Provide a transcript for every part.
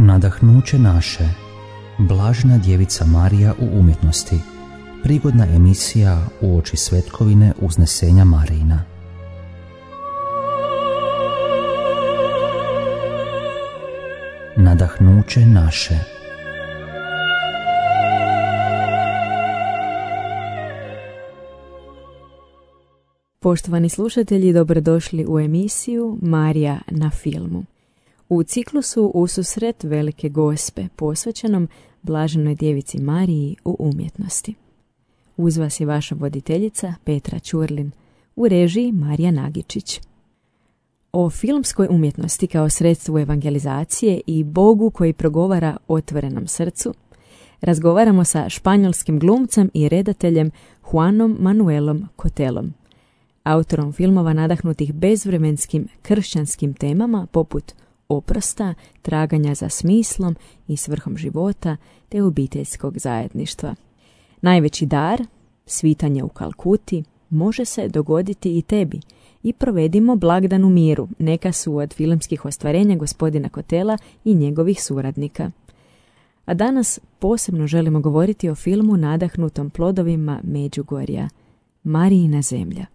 Nadahnuće naše, Blažena djevica Marija u umjetnosti, prigodna emisija uoči svetkovine uznesenja Marijina. Nadahnuće naše. Poštovani slušatelji, dobrodošli u emisiju Marija na filmu. U ciklusu Ususret Velike Gospe, posvećenom Blaženoj djevici Mariji u umjetnosti. Uz vas je vaša voditeljica Petra Ćurlin, u režiji Marija Nagičić. O filmskoj umjetnosti kao sredstvu evangelizacije i Bogu koji progovara otvorenom srcu razgovaramo sa španjolskim glumcem i redateljem Juanom Manuelom Cotelom, autorom filmova nadahnutih bezvremenskim kršćanskim temama poput oprosta, traganja za smislom i svrhom života te obiteljskog zajedništva. Najveći dar, svitanje u Kalkuti, može se dogoditi i tebi i provedimo blagdan u miru, neka su od filmskih ostvarenja gospodina Cotela i njegovih suradnika. A danas posebno želimo govoriti o filmu nadahnutom plodovima Međugorja, Marijina zemlja.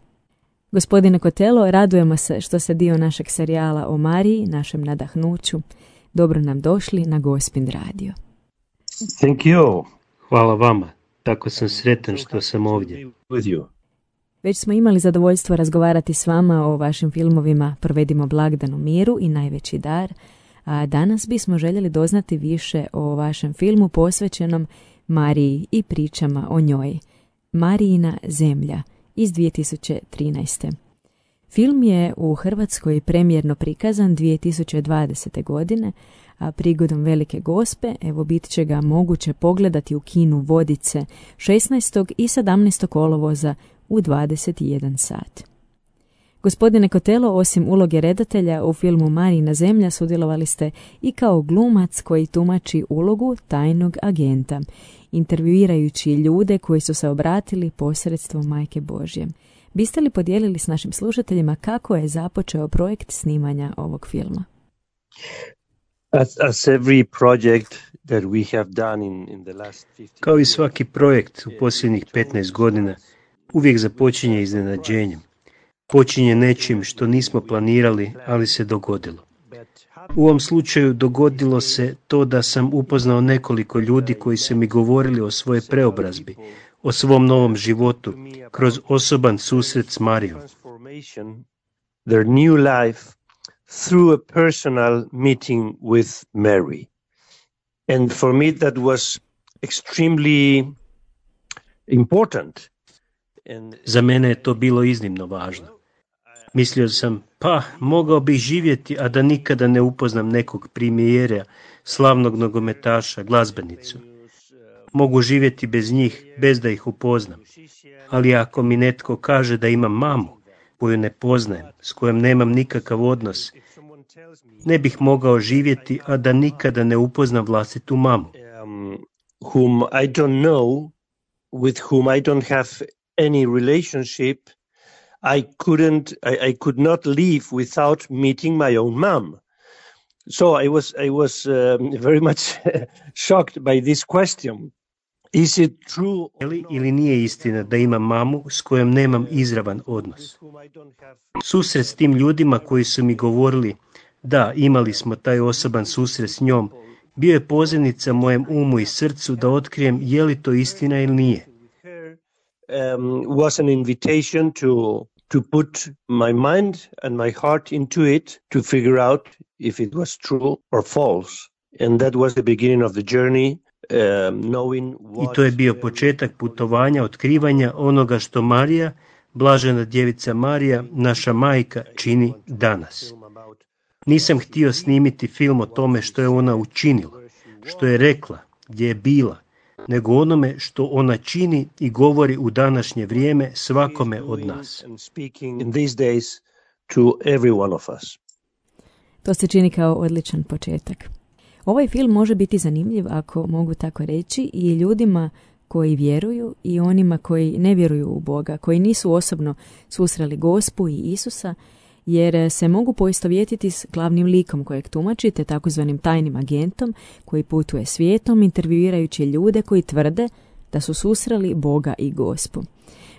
Gospodine Cotelo, radujemo se što ste dio našeg serijala o Mariji, našem nadahnuću. Dobro nam došli na Gospin radio. Thank you. Hvala vama. Tako sam sretan što sam ovdje. Već smo imali zadovoljstvo razgovarati s vama o vašim filmovima Provedimo blagdan u miru i Najveći dar, a danas bismo željeli doznati više o vašem filmu posvećenom Mariji i pričama o njoj. Marijina zemlja iz 2013. Film je u Hrvatskoj premijerno prikazan 2020. godine, a prigodom Velike Gospe evo bit će ga moguće pogledati u kinu Vodice 16. i 17. kolovoza u 21 sat. Gospodine Cotelo, osim uloge redatelja u filmu Marijina zemlja sudjelovali ste i kao glumac koji tumači ulogu tajnog agenta, intervjuirajući ljude koji su se obratili posredstvom Majke Božje. Biste li podijelili s našim slušateljima kako je započeo projekt snimanja ovog filma? Kao i svaki projekt u posljednjih 15 godina, uvijek započinje iznenađenjem. Počinje nečim što nismo planirali, ali se dogodilo. U ovom slučaju dogodilo se to da sam upoznao nekoliko ljudi koji su mi govorili o svojoj preobrazbi, o svom novom životu, kroz osoban susret s Marijom. Their new life through a personal meeting with Mary. And for me that was extremely important. Za mene je to bilo iznimno važno. Mislio sam, mogao bih živjeti, a da nikada ne upoznam nekog premijera, slavnog nogometaša, glazbenicu. Mogu živjeti bez njih, bez da ih upoznam. Ali ako mi netko kaže da imam mamu, koju ne poznajem, s kojom nemam nikakav odnos, ne bih mogao živjeti, a da nikada ne upoznam vlastitu mamu. Whom I don't know, with whom I don't have any relationship, I could not live without meeting my own mom. So I was very much shocked by this question. Is it true? Ili nije istina da imam mamu s kojom nemam izravan odnos? Susret s tim ljudima koji su mi govorili, da, imali smo taj osoban susret s njom, bio je pozivnica mojem umu i srcu da otkrijem je li to istina ili nije. Was an invitation to put my mind and my heart into it to figure out if it was true or false. And that was the beginning of the journey, knowing what... I to je bio početak putovanja, otkrivanja onoga što Marija, Blažena djevica Marija, naša majka, čini danas. Nisam htio snimiti film o tome što je ona učinila, što je rekla, gdje je bila, nego onome što ona čini i govori u današnje vrijeme svakome od nas. To se čini kao odličan početak. Ovaj film može biti zanimljiv, ako mogu tako reći, i ljudima koji vjeruju i onima koji ne vjeruju u Boga, koji nisu osobno susreli Gospu i Isusa, jer se mogu poistovjetiti s glavnim likom kojeg tumačite, takozvanim tajnim agentom koji putuje svijetom intervjuirajući ljude koji tvrde da su susreli Boga i Gospu.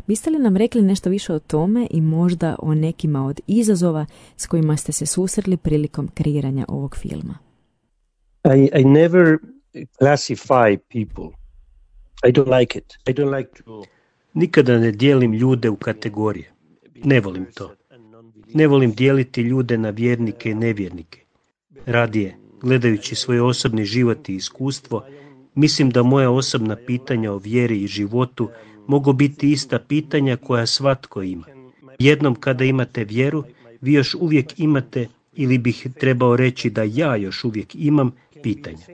Biste li nam rekli nešto više o tome i možda o nekima od izazova s kojima ste se susreli prilikom kreiranja ovog filma? I never classify people. I don't like it. I don't like to... Nikada ne dijelim ljude u kategorije. Ne volim to. Ne volim dijeliti ljude na vjernike i nevjernike. Radije, gledajući svoj osobni život i iskustvo, mislim da moja osobna pitanja o vjeri i životu mogu biti ista pitanja koja svatko ima. Jednom kada imate vjeru, vi još uvijek imate, ili bih trebao reći da ja još uvijek imam, pitanja.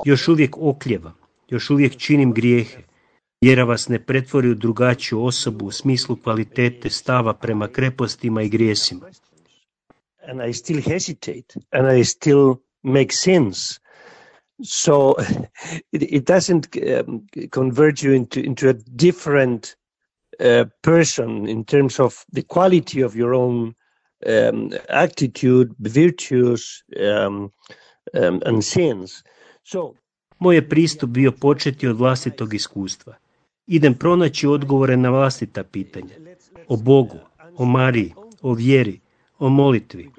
Još uvijek okljevam, još uvijek činim grijehe. Vjera vas ne pretvori u drugačiju osobu u smislu kvalitete stava prema krepostima i grijesima. And I still hesitate, and I still make sins. So it doesn't convert you into a different person in terms of the quality of your own attitude, virtues, and sins. So, moj je pristup bio početi od vlastitog iskustva. Idem pronaći odgovore na vlastita pitanja. O Bogu, o Mariji, o vjeri, o molitvi.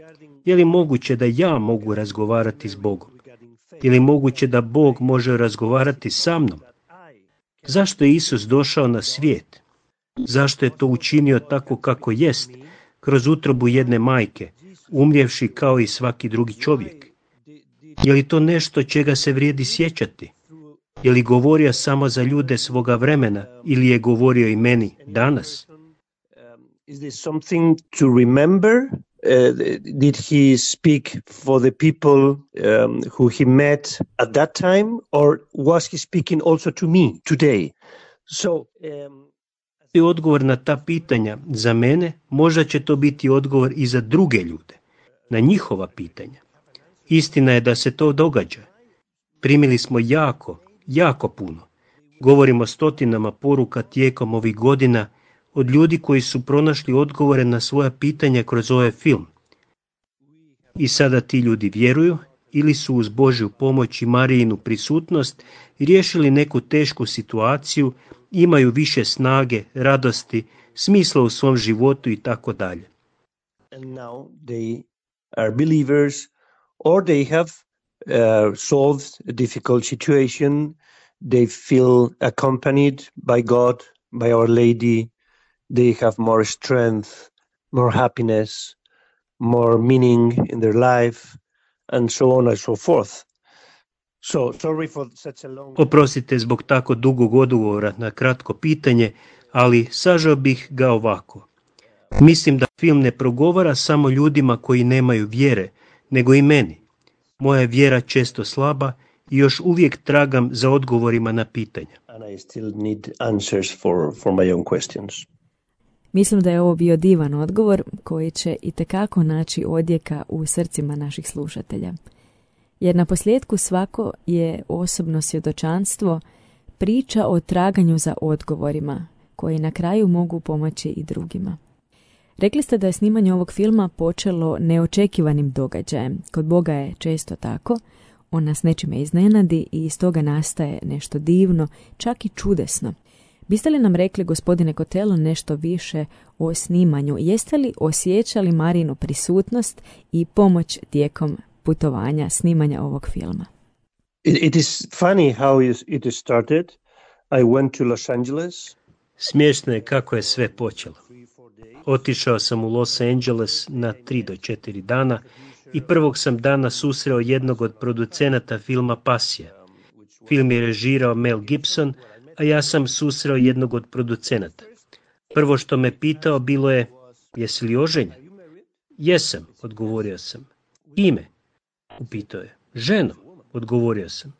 Je li moguće da ja mogu razgovarati s Bogom? Je li moguće da Bog može razgovarati sa mnom? Zašto je Isus došao na svijet? Zašto je to učinio tako kako jest, kroz utrobu jedne majke, umrijevši kao i svaki drugi čovjek? Je li to nešto čega se vrijedi sjećati? Je li govorio samo za ljude svoga vremena ili je govorio i meni danas? Is this something to remember? Did he speak for the people who he met at that time, or was he speaking also to me today? So, odgovor na ta pitanja za mene, možda će to biti odgovor i za druge ljude, na njihova pitanja. Istina je da se to događa. Primili smo jako puno. Govorimo stotinama poruka tijekom ovih godina od ljudi koji su pronašli odgovore na svoja pitanja kroz ovaj film. I sada ti ljudi vjeruju ili su uz Božju pomoć i Marijinu prisutnost riješili neku tešku situaciju, imaju više snage, radosti, smisla u svom životu i tako dalje. And now they are believers, or they have solved a difficult situation. They feel accompanied by God, by Our Lady. They have more strength, more happiness, more meaning in their life, and so on and so forth. So, sorry for such a long... Oprostite zbog tako dugog odgovora na kratko pitanje, ali sažao bih ga ovako. Mislim da film ne progovara samo ljudima koji nemaju vjere, nego i meni. Moja je vjera često slaba i još uvijek tragam za odgovorima na pitanja. And I still need answers for my own questions. Mislim da je ovo bio divan odgovor koji će itekako naći odjeka u srcima naših slušatelja. Jer na posljedku svako je osobno svjedočanstvo, priča o traganju za odgovorima, koji na kraju mogu pomoći i drugima. Rekli ste da je snimanje ovog filma počelo neočekivanim događajem. Kod Boga je često tako, on nas nečime iznenadi i iz toga nastaje nešto divno, čak i čudesno. Biste li nam rekli, gospodine Kotelo, nešto više o snimanju? Jeste li osjećali Marijinu prisutnost i pomoć tijekom putovanja, snimanja ovog filma? It is funny how it started. I went to Los Angeles. Smiješno je kako je sve počelo. Otišao sam u Los Angeles na 3 do 4 dana i prvog sam dana susreo jednog od producenata filma Pasija. Film je režirao Mel Gibson, a ja sam susreo jednog od producenata. Prvo što me pitao bilo je, jesi li oženjen? Jesam, odgovorio sam. Ime? Upitao je. Ženom, odgovorio sam.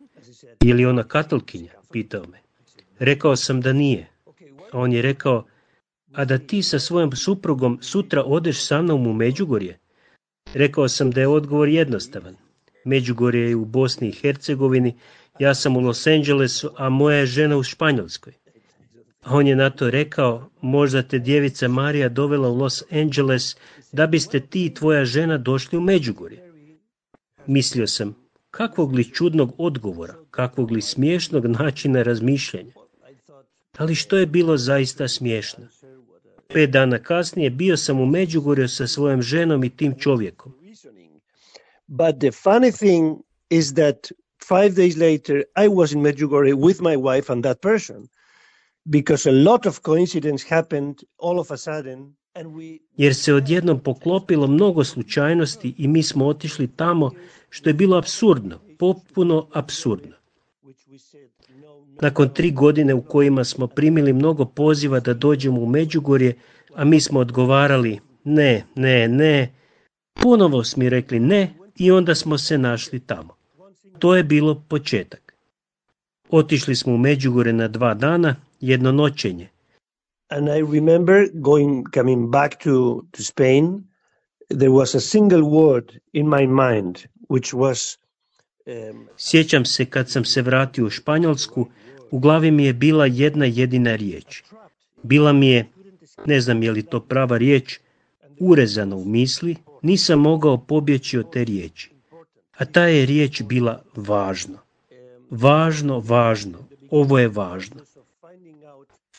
Je li ona katolkinja? Pitao me. Rekao sam da nije. A on je rekao, a da ti sa svojom suprugom sutra odeš sa mnom u Međugorje? Rekao sam da je odgovor jednostavan. Međugorje je u Bosni i Hercegovini, ja sam u Los Angelesu, a moja je žena u Španjolskoj. A on je na to rekao, možda te djevica Marija dovela u Los Angeles da biste ti i tvoja žena došli u Međugorje. Mislio sam, kakvog li čudnog odgovora, kakvog li smiješnog načina razmišljanja. Ali što je bilo zaista smiješno? 5 dana kasnije bio sam u Međugorju sa svojom ženom i tim čovjekom. But the funny thing is that 5 days later I was in Medjugorje with my wife and that person. Because a lot of coincidence happened all of a sudden. Jer se odjednom poklopilo mnogo slučajnosti i mi smo otišli tamo, što je bilo apsurdno, potpuno apsurdno. Nakon 3 godine u kojima smo primili mnogo poziva da dođemo u Međugorje, a mi smo odgovarali ne, ponovo smo mi rekli ne i onda smo se našli tamo. To je bilo početak. Otišli smo u Međugorje na 2 dana, jedno noćenje. And I remember coming back to Spain, there was a single word in my mind, which was... Sjećam se kad sam se vratio u Španjolsku, u glavi mi je bila jedna jedina riječ. Bila mi je, ne znam je li to prava riječ, urezana u misli, nisam mogao pobjeći od te riječi. A ta je riječ bila važno. Važno, ovo je važno.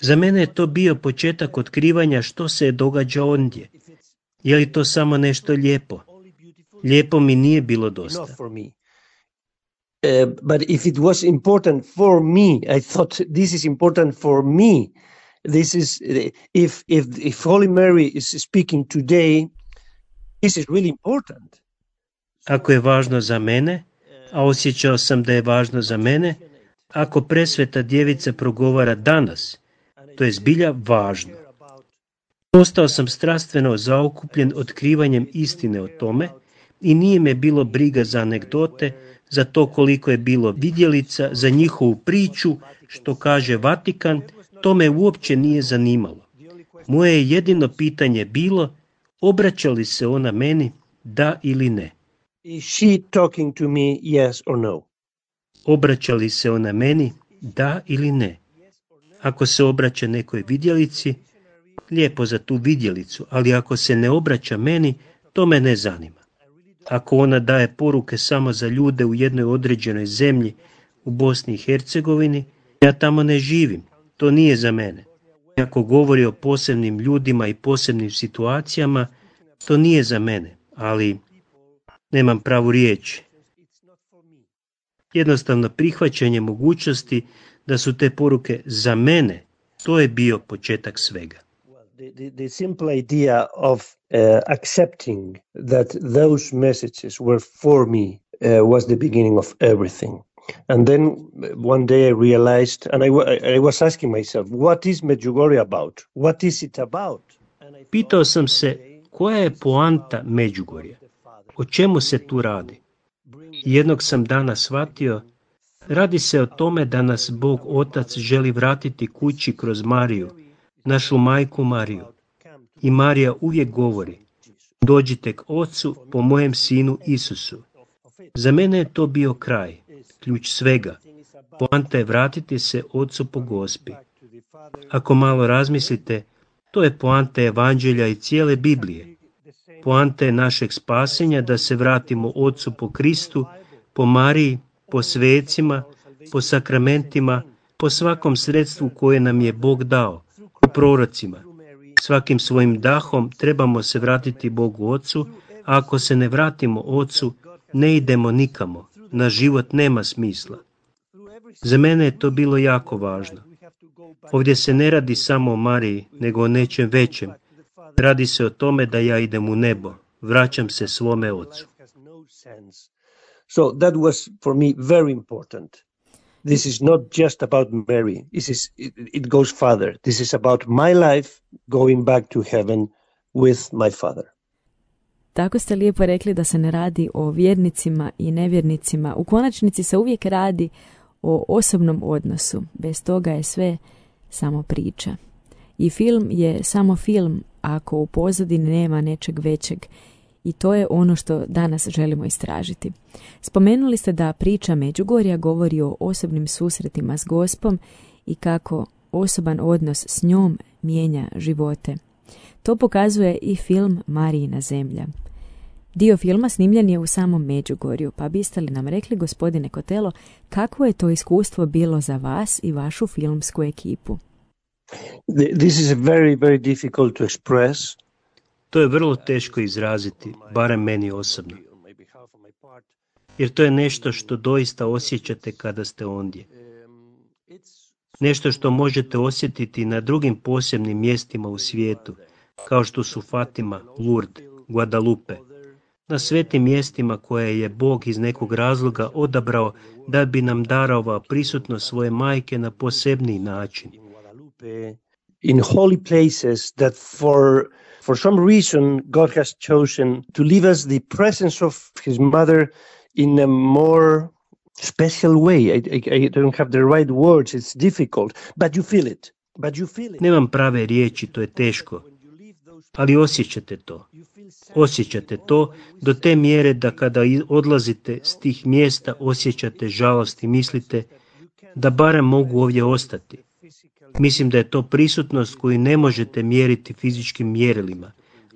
Za mene je to bio početak otkrivanja što se događa ondje. Je li to samo nešto lijepo? Lijepo mi nije bilo dosta. But if it was important for me, I thought this is important for me. This is if Holy Mary is speaking today, this is really important. Ako je važno za mene, a osjećao sam da je važno za mene, ako presveta djevica progovara danas, to je zbilja važno. Postao sam strastveno zaokupljen otkrivanjem istine o tome i nije me bilo briga za anegdote, za to koliko je bilo vidjelica, za njihovu priču, što kaže Vatikan, to me uopće nije zanimalo. Moje je jedino pitanje bilo, obraća li se ona meni, da ili ne? Is she talking to me, yes or no? Obraća li se ona meni, da ili ne? Ako se obraća nekoj vidjelici, lijepo za tu vidjelicu, ali ako se ne obraća meni, to me ne zanima. Ako ona daje poruke samo za ljude u jednoj određenoj zemlji u Bosni i Hercegovini, ja tamo ne živim, to nije za mene. Ako govori o posebnim ljudima i posebnim situacijama, to nije za mene, ali nemam pravu riječ. Jednostavno prihvaćanje mogućnosti da su te poruke za mene, to je bio početak svega. The simple idea of accepting that those messages were for me was the beginning of everything. And then one day I realized, and I was asking myself, what is Medjugorje about? What is it about? Pitao sam se, koja je poanta Međugorja? O čemu se tu radi? Jednog sam dana shvatio, radi se o tome da nas Bog Otac želi vratiti kući kroz Mariju, našu majku Mariju. I Marija uvijek govori, dođite k Ocu po mojem sinu Isusu. Za mene je to bio kraj, ključ svega. Poanta je vratiti se Ocu po Gospi. Ako malo razmislite, to je poanta Evanđelja i cijele Biblije. Poanta je našeg spasenja da se vratimo Ocu po Kristu, po Mariji, po svecima, po sakramentima, po svakom sredstvu koje nam je Bog dao, po prorocima. Svakim svojim dahom trebamo se vratiti Bogu Ocu, a ako se ne vratimo Ocu, ne idemo nikamo, naš život nema smisla. Za mene je to bilo jako važno. Ovdje se ne radi samo o Mariji, nego o nečem većem. Radi se o tome da ja idem u nebo, vraćam se svome Ocu. So that was for me very important. This is not just about Mary. It goes further. This is about my life going back to heaven with my Father. Tako ste lijepo rekli da se ne radi o vjernicima i nevjernicima. U konačnici se uvijek radi o osobnom odnosu. Bez toga je sve samo priča. I film je samo film ako u pozadini nema nečeg većeg. I to je ono što danas želimo istražiti. Spomenuli ste da priča Međugorja govori o osobnim susretima s Gospom i kako osoban odnos s njom mijenja živote. To pokazuje i film Marijina zemlja. Dio filma snimljen je u samom Međugorju, pa biste li nam rekli, gospodine Kotelo, kakvo je to iskustvo bilo za vas i vašu filmsku ekipu? This is very, very difficult to express. To je vrlo teško izraziti, barem meni osobno. Jer to je nešto što doista osjećate kada ste ondje. Nešto što možete osjetiti na drugim posebnim mjestima u svijetu, kao što su Fatima, Lourdes, Guadalupe, na svetim mjestima koje je Bog iz nekog razloga odabrao da bi nam darovao prisutnost svoje majke na posebni način. In holy places that for some reason God has chosen to leave us the presence of his mother in a more special way. I don't have the right words, it's difficult, but you feel it. Nemam prave riječi, to je teško, ali osjećate to. Osjećate to do te mjere da kada odlazite s tih mjesta osjećate žalost i mislite da barem mogu ovdje ostati. Mislim da je to prisutnost koju ne možete mjeriti fizičkim mjerilima,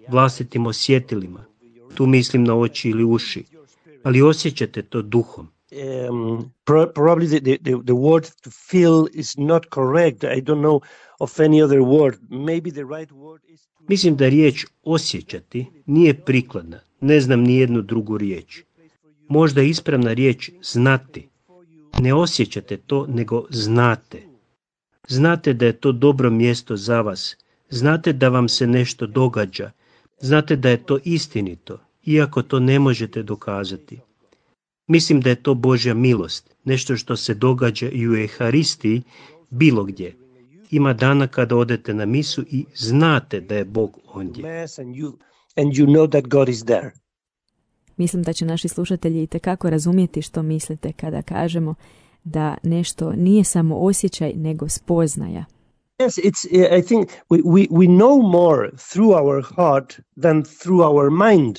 vlastitim osjetilima. Tu mislim na oči ili uši, ali osjećate to duhom. Probably the word to feel is not correct. I don't know of any other word. Maybe the right word is... Mislim da riječ osjećati nije prikladna. Ne znam ni jednu drugu riječ. Možda je ispravna riječ znati. Ne osjećate to, nego znate. Znate da je to dobro mjesto za vas. Znate da vam se nešto događa. Znate da je to istinito, iako to ne možete dokazati. Mislim da je to Božja milost, nešto što se događa i u Euharistiji, bilo gdje. Ima dana kada odete na misu i znate da je Bog ondje. Mislim da će naši slušatelji itekako razumjeti što mislite kada kažemo da nešto nije samo osjećaj, nego spoznaja. Yes, I think we know more through our heart than through our mind.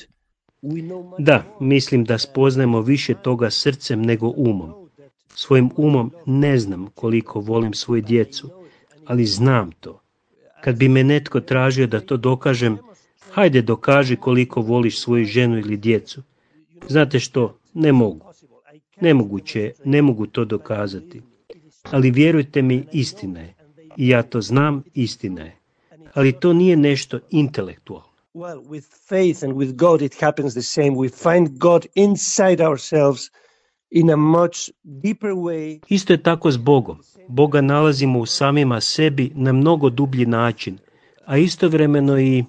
Da, mislim da spoznajemo više toga srcem nego umom. Svojim umom ne znam koliko volim svoju djecu, ali znam to. Kad bi me netko tražio da to dokažem, hajde dokaži koliko voliš svoju ženu ili djecu. Znate što, ne mogu. Nemoguće, ne mogu to dokazati. Ali vjerujte mi, istina je. I ja to znam, istina je. Ali to nije nešto intelektualno. Well, with faith and with God it happens the same. We find God inside ourselves in a much deeper way. Isto je tako s Bogom. Boga nalazimo u samima sebi na mnogo dublji način, a istovremeno i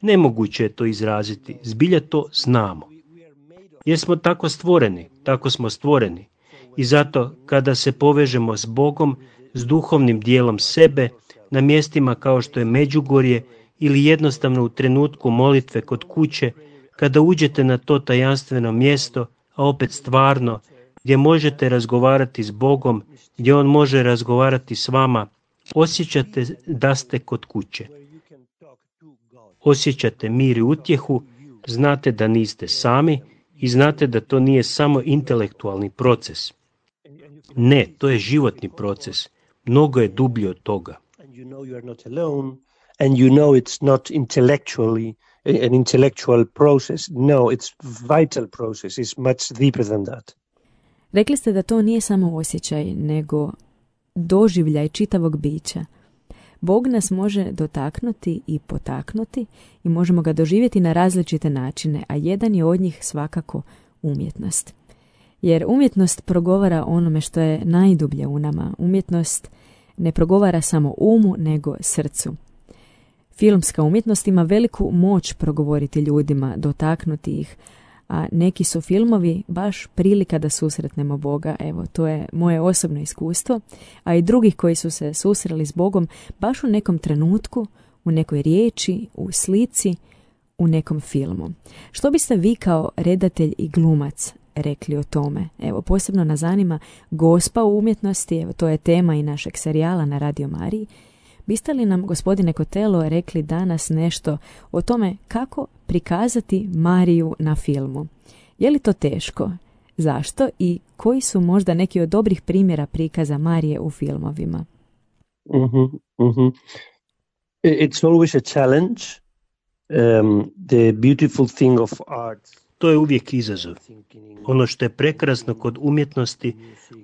nemoguće je to izraziti. Zbilja to znamo. Jer smo tako stvoreni, tako smo stvoreni. I zato kada se povežemo s Bogom, s duhovnim dijelom sebe, na mjestima kao što je Međugorje, ili jednostavno u trenutku molitve kod kuće, kada uđete na to tajanstveno mjesto, a opet stvarno, gdje možete razgovarati s Bogom, gdje On može razgovarati s vama, osjećate da ste kod kuće. Osjećate mir i utjehu, znate da niste sami i znate da to nije samo intelektualni proces. Ne, to je životni proces. Mnogo je dublje od toga. And you know it's not intellectually an intellectual process. No, it's vital process. It's much deeper than that. Rekli ste da to nije samo osjećaj, nego doživljaj čitavog bića. Bog nas može dotaknuti i potaknuti i možemo ga doživjeti na različite načine, a jedan je od njih svakako umjetnost. Jer umjetnost progovara onome što je najdublje u nama. Umjetnost ne progovara samo umu, nego srcu. Filmska umjetnost ima veliku moć progovoriti ljudima, dotaknuti ih, a neki su filmovi baš prilika da susretnemo Boga. Evo, to je moje osobno iskustvo, a i drugih koji su se susreli s Bogom baš u nekom trenutku, u nekoj riječi, u slici, u nekom filmu. Što biste vi kao redatelj i glumac rekli o tome? Evo, posebno nas zanima Gospa u umjetnosti, evo, to je tema i našeg serijala na Radio Mariji. Biste li nam, gospodine Kotelo, rekli danas nešto o tome kako prikazati Mariju na filmu? Je li to teško? Zašto? I koji su možda neki od dobrih primjera prikaza Marije u filmovima? Mm-hmm, mm-hmm. It's always a challenge. The beautiful thing of art. To je uvijek izazov. Ono što je prekrasno kod umjetnosti,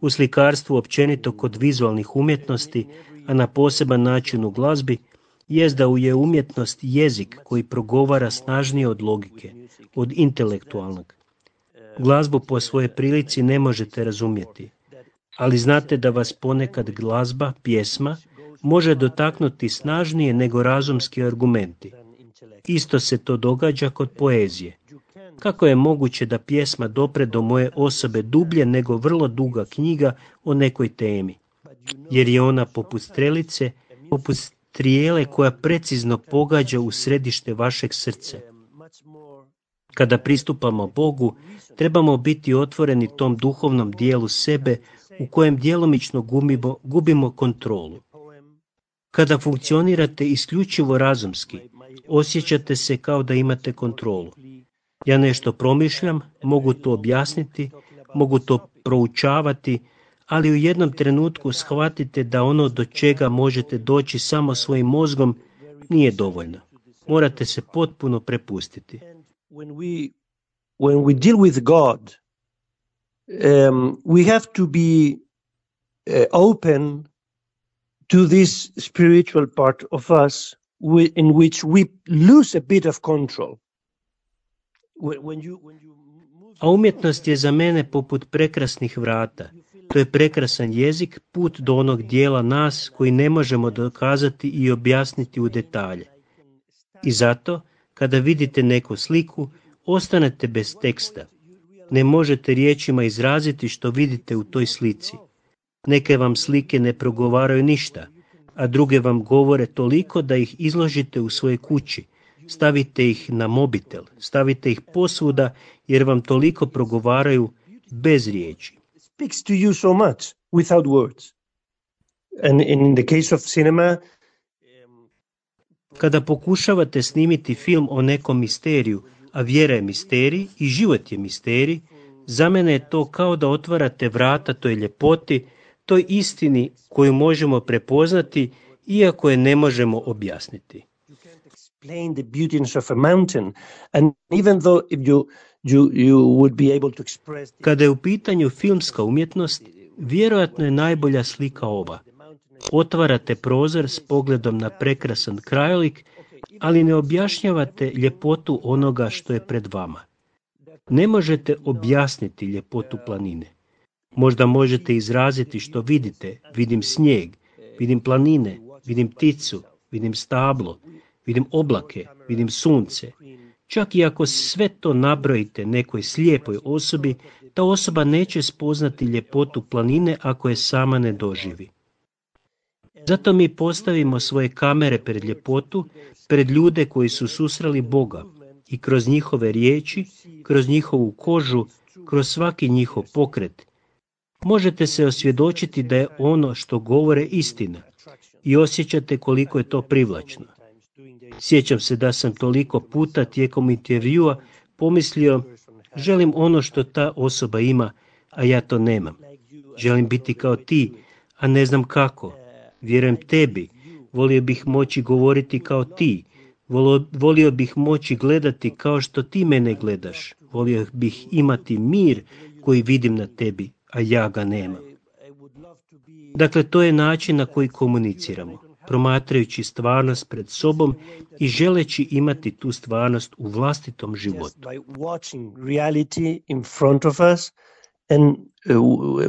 u slikarstvu općenito kod vizualnih umjetnosti, a na poseban način u glazbi, jest da je umjetnost jezik koji progovara snažnije od logike, od intelektualnog. Glazbu po svojoj prilici ne možete razumjeti, ali znate da vas ponekad glazba, pjesma, može dotaknuti snažnije nego razumski argumenti. Isto se to događa kod poezije. Kako je moguće da pjesma dopre do moje osobe dublje nego vrlo duga knjiga o nekoj temi? Jer je ona poput strelice, poput strijele koja precizno pogađa u središte vašeg srca. Kada pristupamo Bogu, trebamo biti otvoreni tom duhovnom dijelu sebe u kojem djelomično gubimo kontrolu. Kada funkcionirate isključivo razumski, osjećate se kao da imate kontrolu. Ja nešto promišljam, mogu to objasniti, mogu to proučavati, ali u jednom trenutku shvatite da ono do čega možete doći samo svojim mozgom nije dovoljno. Morate se potpuno prepustiti. When we deal with God, we have to be open to this spiritual part of us in which we lose a bit of control. A umjetnost je za mene poput prekrasnih vrata. To je prekrasan jezik, put do onog dijela nas koji ne možemo dokazati i objasniti u detalje. I zato, kada vidite neku sliku, ostanete bez teksta. Ne možete riječima izraziti što vidite u toj slici. Neke vam slike ne progovaraju ništa, a druge vam govore toliko da ih izložite u svojoj kući. Stavite ih na mobitel, stavite ih posvuda jer vam toliko progovaraju bez riječi. Speaks to you so much without words. And in the case of cinema, kada pokušavate snimiti film o nekom misteriju, a vjera je misterij i život je misterij, za mene je to kao da otvarate vrata toj ljepoti, toj istini koju možemo prepoznati, iako je ne možemo objasniti. Explain the beautiness of a mountain, and even though if you would be able to express. Kada je u pitanju filmska umjetnost, vjerojatno je najbolja slika ova. Otvarate prozor s pogledom na prekrasan krajolik, ali ne objašnjavate ljepotu onoga što je pred vama. Ne možete objasniti ljepotu planine. Možda možete izraziti što vidite. Vidim snijeg, vidim planine, vidim pticu, vidim stablo, vidim oblake, vidim sunce. Čak i ako sve to nabrojite nekoj slijepoj osobi, ta osoba neće spoznati ljepotu planine ako je sama ne doživi. Zato mi postavimo svoje kamere pred ljepotu, pred ljude koji su susreli Boga i kroz njihove riječi, kroz njihovu kožu, kroz svaki njihov pokret. Možete se osvjedočiti da je ono što govore istina i osjećate koliko je to privlačno. Sjećam se da sam toliko puta tijekom intervjua pomislio, želim ono što ta osoba ima, a ja to nemam. Želim biti kao ti, a ne znam kako. Vjerujem tebi, volio bih moći govoriti kao ti, volio bih moći gledati kao što ti mene gledaš, volio bih imati mir koji vidim na tebi, a ja ga nemam. Dakle, to je način na koji komuniciramo, promatrajući stvarnost pred sobom i želeći imati tu stvarnost u vlastitom životu. By watching reality in front of us and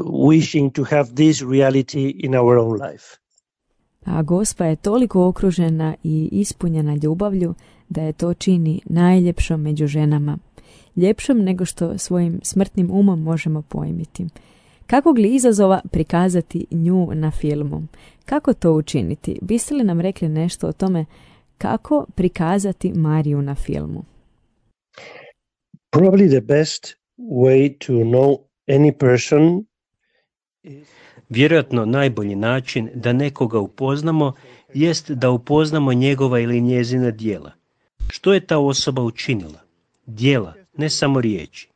wishing to have this reality in our own life. A Gospa je toliko okružena i ispunjena ljubavlju da je to čini najljepšom među ženama. Ljepšom nego što svojim smrtnim umom možemo pojmiti. Kakvog li izazova prikazati nju na filmu? Kako to učiniti? Biste li nam rekli nešto o tome kako prikazati Mariju na filmu? Probably the best way to know any person. Vjerojatno najbolji način da nekoga upoznamo jest da upoznamo njegova ili njezina djela. Što je ta osoba učinila? Djela, ne samo riječi.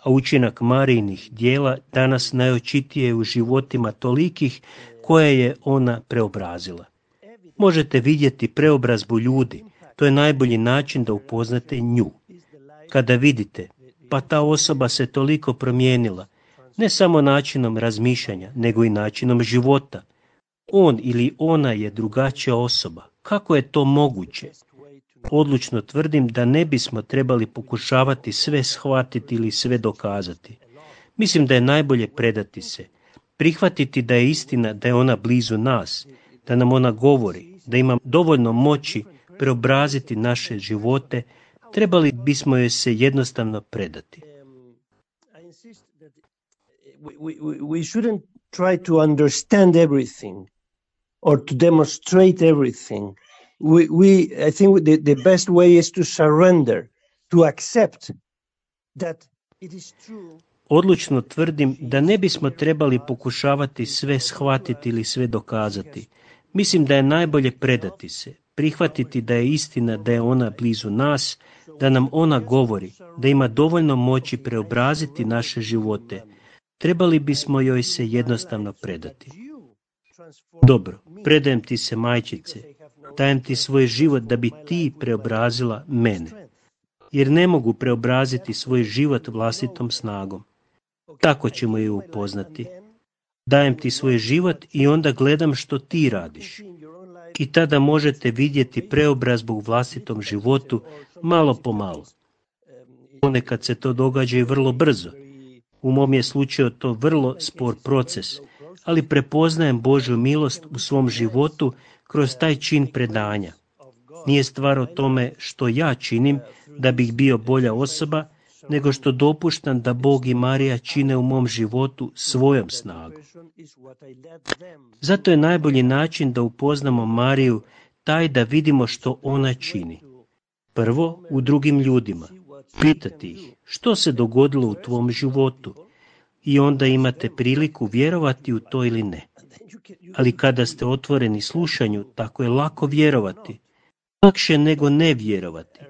A učinak Marijinih djela danas najočitije je u životima tolikih koje je ona preobrazila. Možete vidjeti preobrazbu ljudi, to je najbolji način da upoznate nju. Kada vidite, pa ta osoba se toliko promijenila, ne samo načinom razmišljanja, nego i načinom života. On ili ona je drugačija osoba. Kako je to moguće? Odlučno tvrdim da ne bismo trebali pokušavati sve shvatiti ili sve dokazati. Mislim da je najbolje predati se, prihvatiti da je istina, da je ona blizu nas, da nam ona govori, da ima dovoljno moći preobraziti naše živote. Trebali bismo joj se jednostavno predati. We shouldn't try to understand everything or to demonstrate everything. I think the best way is to surrender, to accept that it is true. Odlučno tvrdim da ne bismo trebali pokušavati sve shvatiti ili sve dokazati. Mislim da je najbolje predati se, prihvatiti da je istina, da je ona blizu nas, da nam ona govori, da ima dovoljno moći preobraziti naše živote. Trebali bismo joj se jednostavno predati. Dobro, predajem ti se, majčice, dajem ti svoj život da bi ti preobrazila mene, jer ne mogu preobraziti svoj život vlastitom snagom. Tako ćemo ju upoznati. Dajem ti svoj život i onda gledam što ti radiš. I tada možete vidjeti preobrazbu u vlastitom životu malo po malo. Ponekad se to događa i vrlo brzo. U mom je slučaju to vrlo spor proces, ali prepoznajem Božju milost u svom životu kroz taj čin predanja. Nije stvar o tome što ja činim da bih bio bolja osoba, nego što dopuštam da Bog i Marija čine u mom životu svojom snagom. Zato je najbolji način da upoznamo Mariju taj da vidimo što ona čini. Prvo, u drugim ljudima. Pitati ih što se dogodilo u tvom životu i onda imate priliku vjerovati u to ili ne. Ali kada ste otvoreni slušanju, tako je lako vjerovati. Lakše nego ne vjerovati.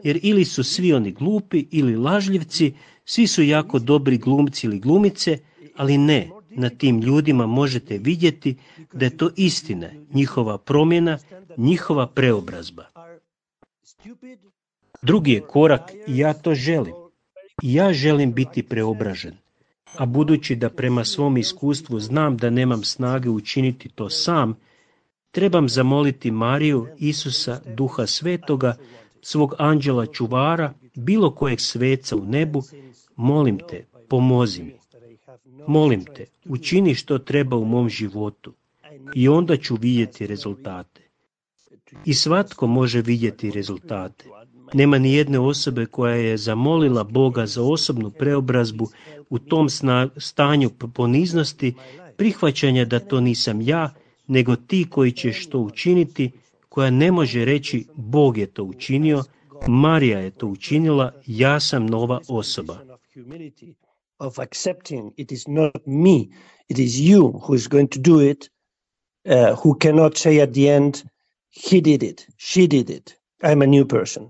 Jer ili su svi oni glupi ili lažljivci, svi su jako dobri glumci ili glumice, ali ne, na tim ljudima možete vidjeti da je to istina, njihova promjena, njihova preobrazba. Drugi je korak i ja to želim. I ja želim biti preobražen. A budući da prema svom iskustvu znam da nemam snage učiniti to sam, trebam zamoliti Mariju, Isusa, Duha Svetoga, svog anđela čuvara, bilo kojeg sveca u nebu, molim te, pomozi mi. Molim te, učini što treba u mom životu i onda ću vidjeti rezultate. I svatko može vidjeti rezultate. Nema ni jedne osobe koja je zamolila Boga za osobnu preobrazbu u tom stanju poniznosti, prihvaćanja da to nisam ja, nego ti koji ćeš to učiniti, koja ne može reći Bog je to učinio, Marija je to učinila, ja sam nova osoba. Of accepting it is not me, it is you who is going to do it, who cannot say at the end, he did it, she did it, I'm a new person.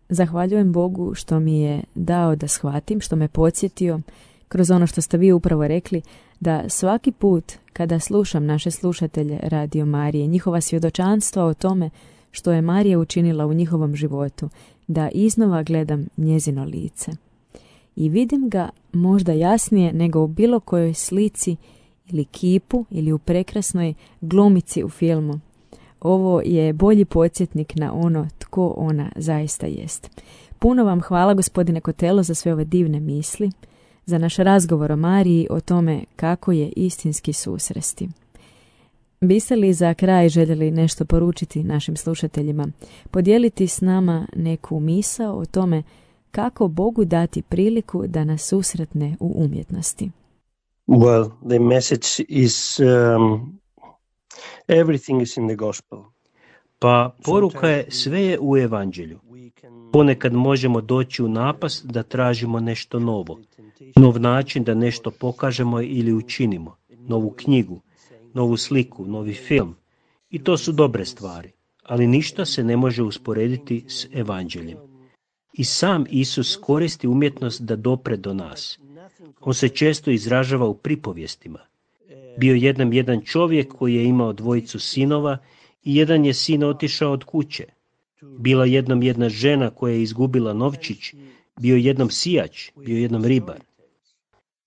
Zahvaljujem Bogu što mi je dao da shvatim, što me podsjetio kroz ono što ste vi upravo rekli, da svaki put kada slušam naše slušatelje Radio Marije, njihova svjedočanstva o tome što je Marija učinila u njihovom životu, da iznova gledam njezino lice. I vidim ga možda jasnije nego u bilo kojoj slici ili kipu ili u prekrasnoj glumici u filmu. Ovo je bolji podsjetnik na ono tko ona zaista jest. Puno vam hvala, gospodine Kotelo, za sve ove divne misli, za naš razgovor o Mariji, o tome kako je istinski susresti. Biste li za kraj željeli nešto poručiti našim slušateljima, podijeliti s nama neku misao o tome kako Bogu dati priliku da nas susretne u umjetnosti? Well, the message is everything is in the gospel. Pa poruka je sve je u evanđelju. Ponekad možemo doći u napast da tražimo nešto novo, nov način da nešto pokažemo ili učinimo, novu knjigu, novu sliku, novi film. I to su dobre stvari, ali ništa se ne može usporediti s evanđeljem. I sam Isus koristi umjetnost da dopre do nas. On se često izražava u pripovjestima. Bio jednom jedan čovjek koji je imao 2 sinova i jedan je sin otišao od kuće. Bila jednom jedna žena koja je izgubila novčić, bio jednom sijač, bio jednom ribar.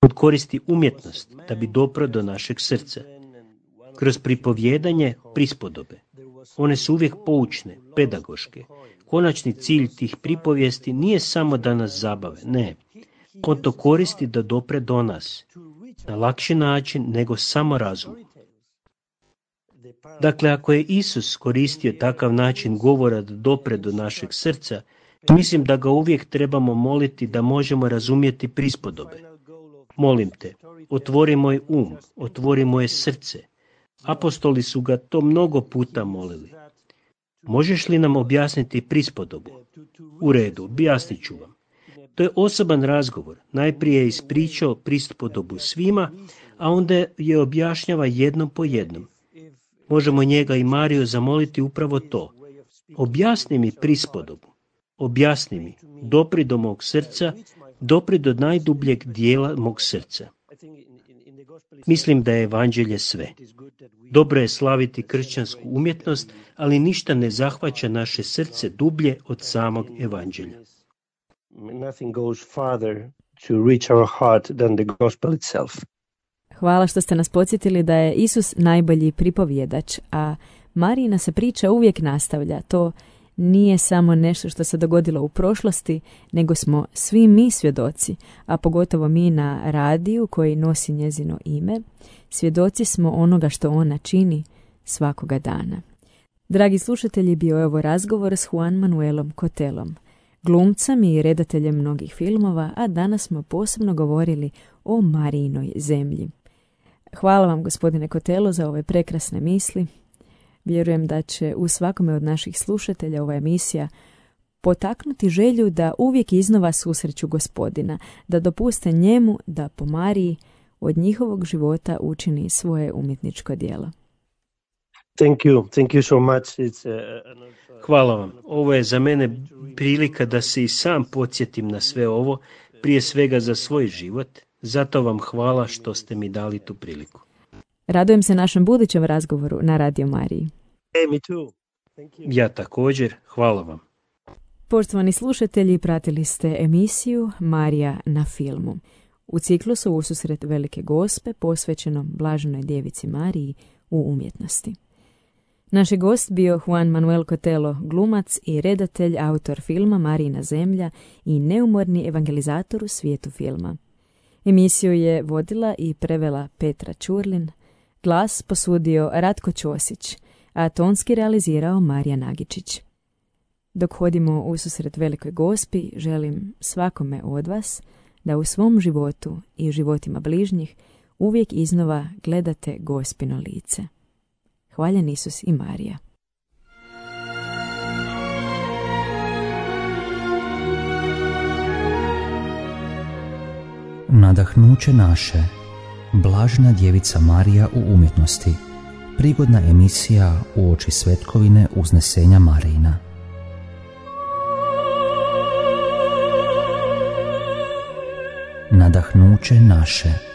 Gospod koristi umjetnost da bi dopro do našeg srca. Kroz pripovjedanje prispodobe. One su uvijek poučne, pedagoške. Konačni cilj tih pripovijesti nije samo da nas zabave, ne. On to koristi da dopre do nas. Na lakši način nego samo razum. Dakle, ako je Isus koristio takav način govora da dopre do našeg srca, mislim da ga uvijek trebamo moliti da možemo razumjeti prispodobe. Molim te, otvori moj otvori moje srce. Apostoli su ga to mnogo puta molili. Možeš li nam objasniti prispodobu? U redu, objasnit ću vam. To je osoban razgovor. Najprije je ispričao prispodobu svima, a onda je objašnjava jednom po jednom. Možemo njega i Mariju zamoliti upravo to. Objasni mi prispodobu. Objasni mi. Dopri do mog srca, dopri do najdubljeg dijela mog srca. Mislim da je evanđelje sve. Dobro je slaviti kršćansku umjetnost, ali ništa ne zahvaća naše srce dublje od samog evanđelja. Nothing goes farther to reach our heart than the gospel itself. Hvala što ste nas podsjetili da je Isus najbolji pripovjedač, a Marijina se priča uvijek nastavlja. To nije samo nešto što se dogodilo u prošlosti, nego smo svi mi svjedoci, a pogotovo mi na radiju koji nosi njezino ime, svjedoci smo onoga što ona čini svakoga dana. Dragi slušatelji, bio je ovo razgovor s Juan Manuelom Cotelom, glumcem i redateljem mnogih filmova, a danas smo posebno govorili o Marijinoj zemlji. Hvala vam, gospodine Cotelo, za ove prekrasne misli. Vjerujem da će u svakome od naših slušatelja ova emisija potaknuti želju da uvijek iznova susreću Gospodina, da dopuste njemu da po Mariji od njihovog života učini svoje umjetničko djelo. Thank you so much. Hvala vam. Ovo je za mene prilika da se i sam podsjetim na sve ovo, prije svega za svoj život. Zato vam hvala što ste mi dali tu priliku. Radujem se našem budućem razgovoru na Radio Mariji. Hey, me too. Thank you. Ja također, hvala vam. Poštovani slušatelji, pratili ste emisiju Marija na filmu. U ciklusu Ususret Velike Gospe posvećenom Blaženoj djevici Mariji u umjetnosti. Naš je gost bio Juan Manuel Cotelo, glumac i redatelj, autor filma Marijina zemlja i neumorni evangelizator u svijetu filma. Emisiju je vodila i prevela Petra Čurlin, glas posudio Ratko Ćosić, a tonski realizirao Marija Nagičić. Dok hodimo ususret Velikoj Gospi, želim svakome od vas da u svom životu i životima bližnjih uvijek iznova gledate Gospino lice. Hvaljen Isus i Marija. Nadahnuće naše, Blažena djevica Marija u umjetnosti, prigodna emisija uoči svetkovine uznesenja Marijina. Nadahnuće naše.